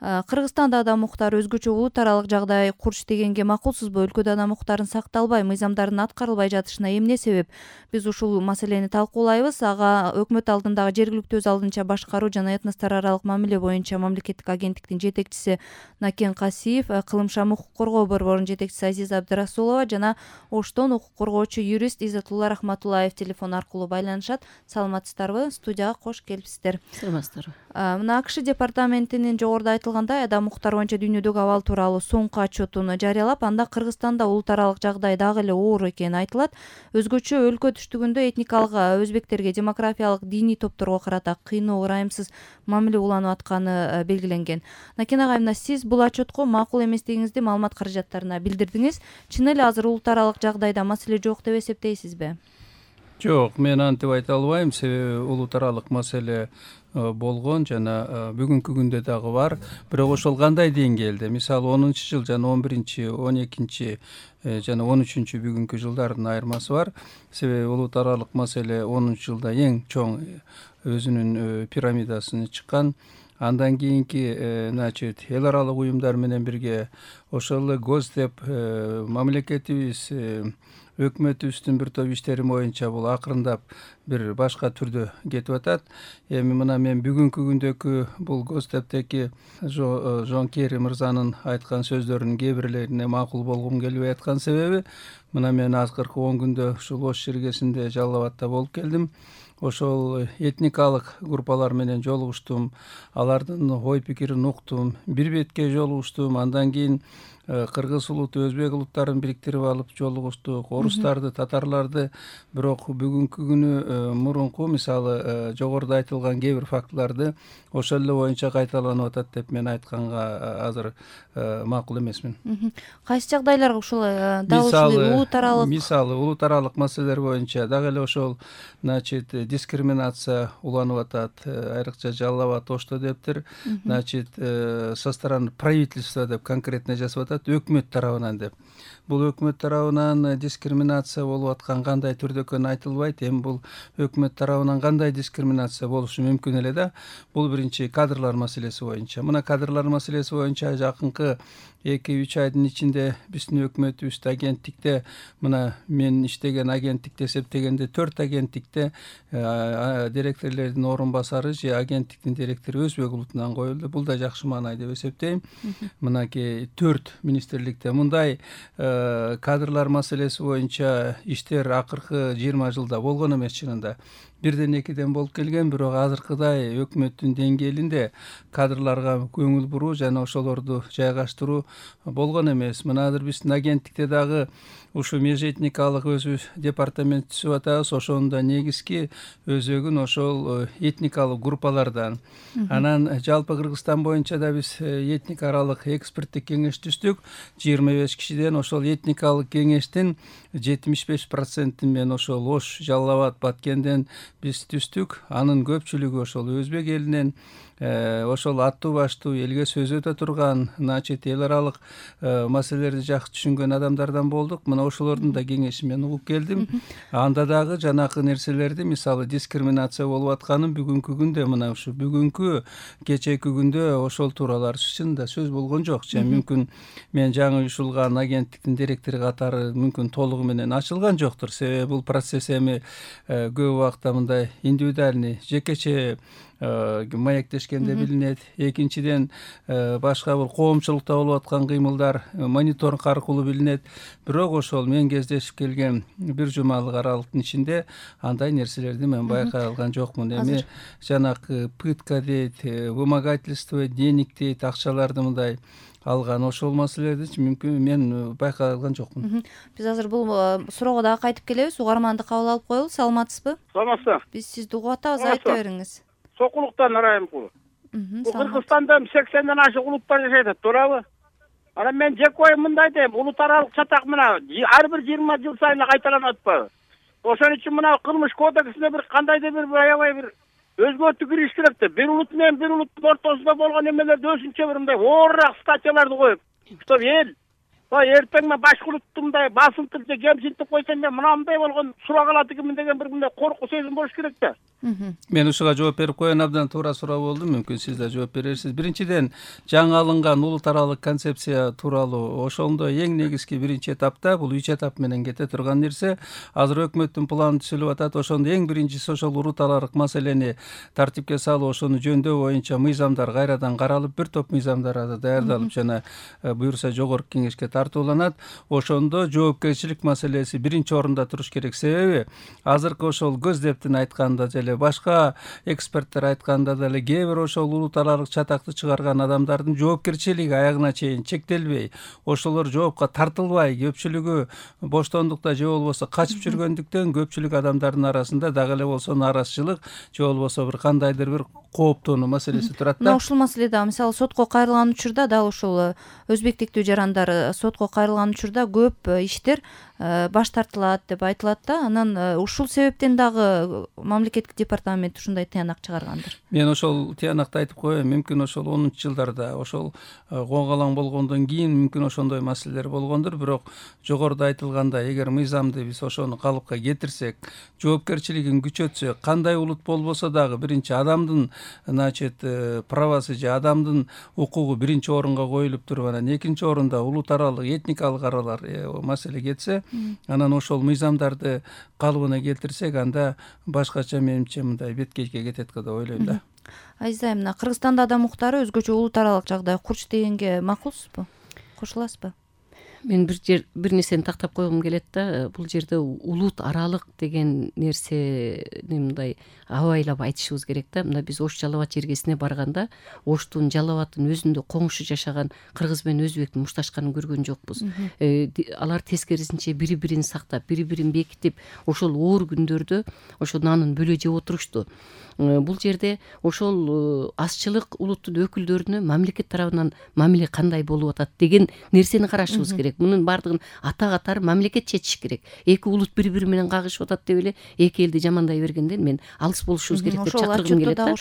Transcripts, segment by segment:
Кыргызстанда адам укуктары өзгөчө улут аралык жагдай курч дегенге макулсузбу? Өлкөдө адам укуктарын сакталбай, мыйзамдардын аткарылбай жатышына эмне себеп? Биз ушул маселени талкуулайбыз. Ага өкмөт алдындагы жергиликтүү өз алдынча башкаруу жана этностор аралык мамиле боюнча мамлекеттик агенттиктин жетекчиси Накен Касиев, Кылымшам укук коргоо борборунун жетекчиси Азиза Абдырасулова жана Оштон укук коргоочу юрист Иззатулла Рахматуллаев телефон аркылуу байланышат. Саламатсыздарбы? Студияга кош келипсиздер. Саламатсыздарбы. Мына АКШ департаментинин жогоруда айтылгандай адам укуктары боюнча дүйнөдөгү абал тууралуу соңку отчетун жарыялап, анда Кыргызстанда улут аралык жагдай дагы эле оор экени айтылат. Өзгөчө өлкө түштүгүндө этникалык өзбектерге, демографиялык диний топторго карата кыйноо, ырайымсыз мамиле уланып атканы белгиленген. Накен агай, мына сиз бул отчетко макул эместигиңизди маалымат каражаттарына билдирдиңиз. Чын эле азыр улут аралык жагдайда маселе жок деп эсептейсизби? Жок, мен антип айта албайм. Себеби улут аралык маселе болгон жана бүгүнкү күндө дагы бар. Бирок ошол кандай деңгээлде? Мисалы 10-жыл жана 11-чи, 12-чи жана 13-чү бүгүнкү жылдардын айырмасы бар. Себеби улут аралык маселе 10-жылда эң чоң өзүнүн пирамидасын чыккан. Андан кийинки эл аралык уюмдар менен бирге ошол эле Госдеп мамлекетибиз өкмөтүбүздүн бир топ иштери боюнча бул акырындап бир башка түрдө кетип атат. Эми мына мен бүгүнкү күндөгү бул Госдептеки Жон Керри мырзанын айткан сөздөрүнүн кээ бирлерине макул болгум келбей аткан себеби, мына мен азыркы 10 күндө ушул Ош шергесинде Жалал Абадта болуп келдим. Ошол этникалык группалар менен жолугуштум, алардын ой пикирин уктум, бир бетке жолугуштум. Андан кийин кыргыз улуту, өзбек улуттарын бириктирип алып жолугуштук, орустарды, татарларды. Бирок бүгүнкү күнү мурунку, мисалы жогоруда айтылган кээ бир фактыларды ошол эле боюнча кайталанып атат деп мен айтканга азыр макул эмесмин. Кайсы жагдайларга ушул улут аралык маселелер боюнча дагы эле ошол дискриминация уланып атат, айрыкча Жалал Абад, Ошто дептир. Со стороны правительства деп конкретно жазып атат, өкмөт тарабынан деп. Бул өкмөт тарабынан дискриминация болуп аткан кандай түрдө экени айтылбайт. Эми бул өкмөт тарабынан кандай дискриминация болушу мүмкүн эле да. Бул биринчи кадрлар маселеси боюнча. Мына кадрлар маселеси боюнча жакынкы 2-3 айдын ичинде биздин өкмөтүбүз агенттикте, мына мен иштеген агенттикте эсептегенде 4 агенттикте директорлордун орун басары же агенттиктин директору өзбек улутунан коюлду. Бул да жакшы маанай деп эсептейм. Мынакей 4 министрликте мындай кадрлар маселеси боюнча иштер акыркы 20 жылда болгон эмес чынында. Бирден экиден болуп келген, бирок азыркыдай өкмөттүн деңгээлинде кадрларга көңүл буруу жана ошолорду жайгаштыруу болгон эмес. Мына азыр биздин агенттикте дагы ушу межэтникалык өзү департамент түзүп атабыз. Ошонун да негизги өзөгүн ошол этникалык группалардан. Анан жалпы Кыргызстан боюнча да биз этник аралык эксперттик кеңеш түздүк. 25 кишиден ошол этникалык кеңештин 75% мен ошол Ош, Жалал Абад, Баткенден биз түздүк. Анын көпчүлүгү ошол өзбек элинен, ошол аттуу баштуу элге сөз өтө турган, эл аралык маселелерди жакшы түшүнгөн адамдардан болдук. Мына ошолордун да кеңешин мен угуп келдим. Анда дагы жанакы нерселерди, мисалы дискриминация болуп атканын бүгүнкү күндө, мына ушу бүгүнкү кечээки күндө ошол тууралар чынында сөз болгон жок. Мүмкүн мен жаңы уюшулган агенттиктин директору катары мүмкүн толугу менен ачылган жоктур. Себеби бул процесс эми көп убакта мындай индивидуальный, жекече маектешкенде билинет. Экинчиден башка бул коомчулукта болуп аткан кыймылдар мониторинг аркылуу билинет. Бирок ошол мен кездешип келген бир жумалык аралыктын ичинде андай нерселерди мен байкай алган жокмун. Эми жанакы пытка дейт, вымогательство денег дейт, акчаларды мындай алган, ошол маселелерди мүмкүн мен байкай алган жокмун. Биз азыр бул суроого дагы кайтып келебиз. Угарманды кабыл алып коелу. Саламатсызбы? Саламатсызбы. Биз сизди угуп атабыз, айта бериңиз. Сокулуктан Райымкул. Кыргызстанда 80ден ашык улуттар жашайт, туурабы? Анан мен жеке оюм мындай дейм, улут аралык чатак мына ар бир 20 жыл сайын кайталанып атпайбы? Ошон үчүн мына кылмыш кодексине бир кандайдыр бир аябай бир өзгөртүү кириш керек да. Бир улут менен бир улуттун ортосунда болгон эмелерди өзүнчө бир мындай оорураак статьяларды коюп, чтоб эл эртең мен башкұрттың мындай басынтып же кемсинтип койсом мен мынандай болгон суроо калат экенмин деген бир мындай коркуу сезим болуш керек да. Мен ушуга жооп берип коеюн, абдан туура суроо болду, мүмкүн сиз да жооп берерсиз. Биринчиден, жаңы алынган улут аралык концепция тууралуу ошондо эң негизги биринчи этапта, бул 3 этап менен кете турган нерсе, азыр өкмөттүн планы түзүлүп атат. Ошондо эң биринчиси ошол улут аралык маселени тартипке салуу, ошону жөндөө боюнча мыйзамдар кайрадан каралып, бир топ мыйзамдар даярдалып жана буюрса жогорку кеңешке тартууланат. Ошондо жоопкерчилик маселеси биринчи орунда туруш керек. Себеби азыркы ошол көздептин айтканда деле, башка эксперттер айтканда деле, кээ бир ошол улут аралык чатакты чыгарган адамдардын жоопкерчилиги аягына чейин чектелбей, ошолор жоопко тартылбай, көпчүлүгү боштондукта же болбосо качып жүргөндүктөн көпчүлүк адамдардын арасында дагы эле болсо нааразычылык же болбосо бир кандайдыр бир кооптонуу маселеси турат да. Мына ушул маселеде мисалы сотко кайрылган учурда дал ушул өзбектиктүү жарандар сотко кайрылган учурда көп иштер баш тартылат деп айтылат да. Анан ушул себептен дагы мамлекеттик департамент ушундай тыянак чыгаргандыр. Мен ошол тыянакты айтып коеюн, мүмкүн ошол 10-жылдарда ошол коңгалаң болгондон кийин мүмкүн ошондой маселелер болгондур. Бирок жогоруда айтылгандай, эгер мыйзамды биз ошону калыпка кетирсек, жоопкерчилигин күчөтсөк, кандай улут болбосо дагы биринчи адамдын правасы же адамдын укугу биринчи орунга коюлуп туруп, анан экинчи орунда улут аралык этникалык аралар маселе кетсе, анан ошол мыйзамдарды калыбына келтирсек, анда башкача менимче мындай беткейге кетет деп ойлойм да. Азиз айым, мына Кыргызстанда адам укуктары өзгөчө улут аралык жагдай курч дегенге макулсузбу? Кошуласызбы? Мен бир нерсени тактап койгум келет да. Бул жерде улут аралык деген нерсени мындай абайлап айтышыбыз керек да. Мына биз Ош Жалал Абад жергесине барганда, Оштун Жалал Абадтын өзүндө коңшу жашаган кыргыз менен өзбектин мушташканын көргөн жокпуз. Алар тескерисинче бири-бирин сактап, бири-бирин бекитип, ошол оор күндөрдө ошо нанын бөлө жеп отурушту. Бул жерде ошол азчылык улуттун өкүлдөрүнө мамлекет тарабынан мамиле кандай болуп атат деген нерсени карашыбыз керек. Мунун баардыгын ата катары мамлекет чечиш керек. Эки улут бири-бири менен кагышып атат деп эле эки элди жамандай бергенден мен алыс болушубуз керек деп чакыргым келет да.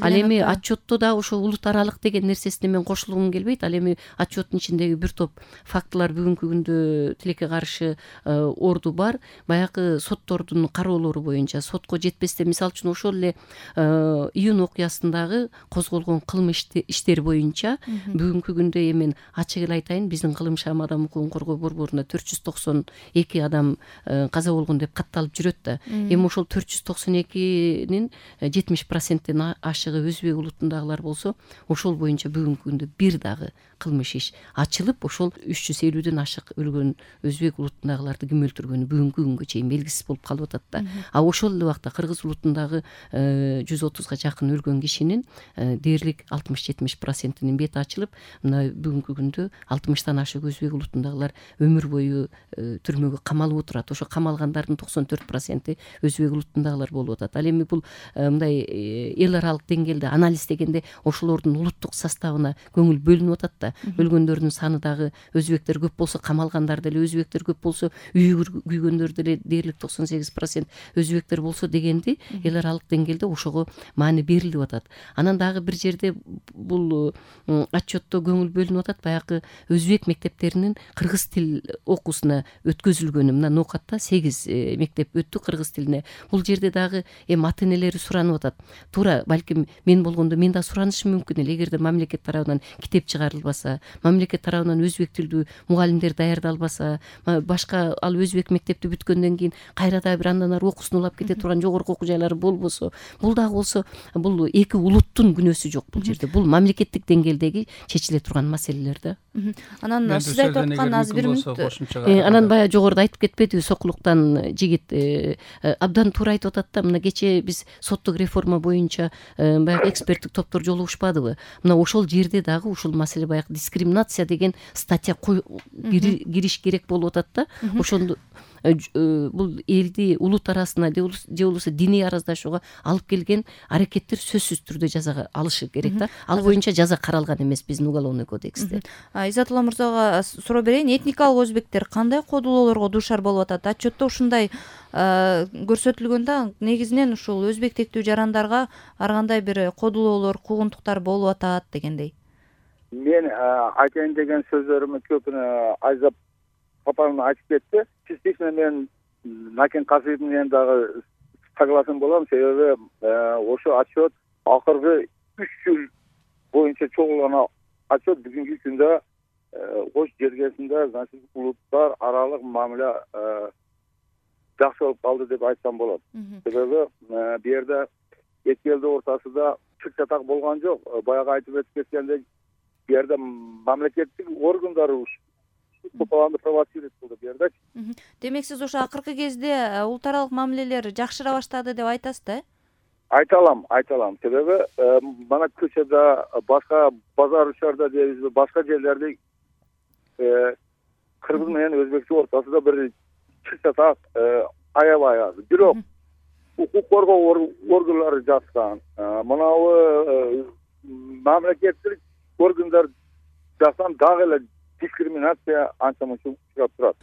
Ал эми отчетто да ошо улут аралык деген нерсесине мен кошулгум келбейт. Ал эми отчеттун ичиндеги бир топ фактылар бүгүнкү күндө тилекке каршы орду бар. Баягы соттордун кароолору боюнча сотко жетпестен, мисалы үчүн ошол эле июнь окуясындагы козголгон кылмыш иштери боюнча бүгүнкү күндө мен ачык эле айтайын, биздин кылым шам адам укугун коргоо борборунда 492 адам каза болгон деп катталып жүрөт да. Эми ошол 492-нин 70%тен ашыгы өзбек улутундагылар болсо, ошол боюнча бүгүнкү күндө бир дагы кылмыш иш ачылып, ошол 350ден ашык өлгөн өзбек улутундагыларды ким өлтүргөнү бүгүнкү күнгө чейин белгисиз болуп калып атат да. А ошол эле убакта кыргыз улутундагы 130га жакын өлгөн кишинин дээрлик 60-70%нин бети ачылып, мына бүгүнкү күндө 60тан ашык өзбек улутундагылар өмүр бою түрмөгө камалып отурат. Ошо камалгандардын 94% өзбек улутундагылар болуп атат. Ал эми бул мындай эл аралык деңгээлде анализ дегенде ошолордун улуттук составына көңүл бөлүнүп атат да. Өлгөндөрдүн саны дагы өзбектер көп болсо, камалгандар деле өзбектер көп болсо, үйгүр күйгөндөр деле дээрлик 98% өзбектер болсо дегенди эл аралык деңгээлде ошого маани берилип атат. Анан дагы бир жерде бул отчетто көңүл бөлүнүп атат, баягы өзбек мектептеринин кыргыз тил окуусуна өткөзүлгөнү. Мына Ноокатта 8 мектеп өттү кыргыз тилине. Бул жерде дагы ата энелери суранып атат. Туура, балким мен болгондо мен да суранышым мүмкүн эле, эгерде мамлекет тарабынан китеп чыгарылбаса, мамлекет тарабынан өзбек тилдүү мугалимдер даярдалбаса, башка ал өзбек мектепти бүткөндөн кийин кайра да бир андан ары окуусун улап кете турган жогорку окуу жайлары болбосо, бул дагы болсо, бул эки улуттун күнөөсү жок бул жерде. Бул мамлекеттик деңгээлдеги чечиле турган маселелер да. Анан сиз айтып аткан азыр бир мүнөт. Анан баягы жогоруда айтып кетпедиби, Сокулуктан жигит абдан туура айтып атат да. Мына кечээ биз соттук реформа боюнча баягы эксперттик топтор жолугушпадыбы? Мына ошол жерде дагы ушул маселе баягы дискриминация деген статья кириш керек болуп атат да. Ошондо бул элди улут арасына же болбосо диний араздашууга алып келген аракеттер сөзсүз түрдө жазага алышы керек да. Ал боюнча жаза каралган эмес биздин уголовный кодексте. Иззатулла мырзага суроо берейин. Этникалык өзбектер кандай кодулоолорго дуушар болуп атат? Отчетто ушундай көрсөтүлгөн да, негизинен ушул өзбектиктүү жарандарга ар кандай бир кодулоолор, куугунтуктар болуп атат дегендей. мен айтайын деген сөздөрүмү көпүнө Айзат папам айтып кетти. Частично мен Накен Касиев менен дагы согласен болом, себеби ошо отчет акыркы 3 жыл боюнча чогулган отчет бүгүнкү күндө Ош жергесинде значит улуттар аралык мамиле жакшы болуп калды деп айтсам болот. Себеби бу жерде эки элдин ортасында чыр чатак болгон жок. Баягы айтып өтүп кеткендей, бу жерде мамлекеттик органдар купаланды провоцировать кылды бу жерде. Демек сиз ошо акыркы кезде улут аралык мамилелер жакшыра баштады деп айтасыз да? Айта алам. Себеби мана көчөдө, башка базар учарда дейбизби, башка жерлерде кыргыз менен өзбекче ортасында бир чыр чатак аябай аз. Бирок укук коргоо органдары жаткан, мынабу мамлекеттик органдар жактан дагы эле дискриминация анча мынча учурап турат.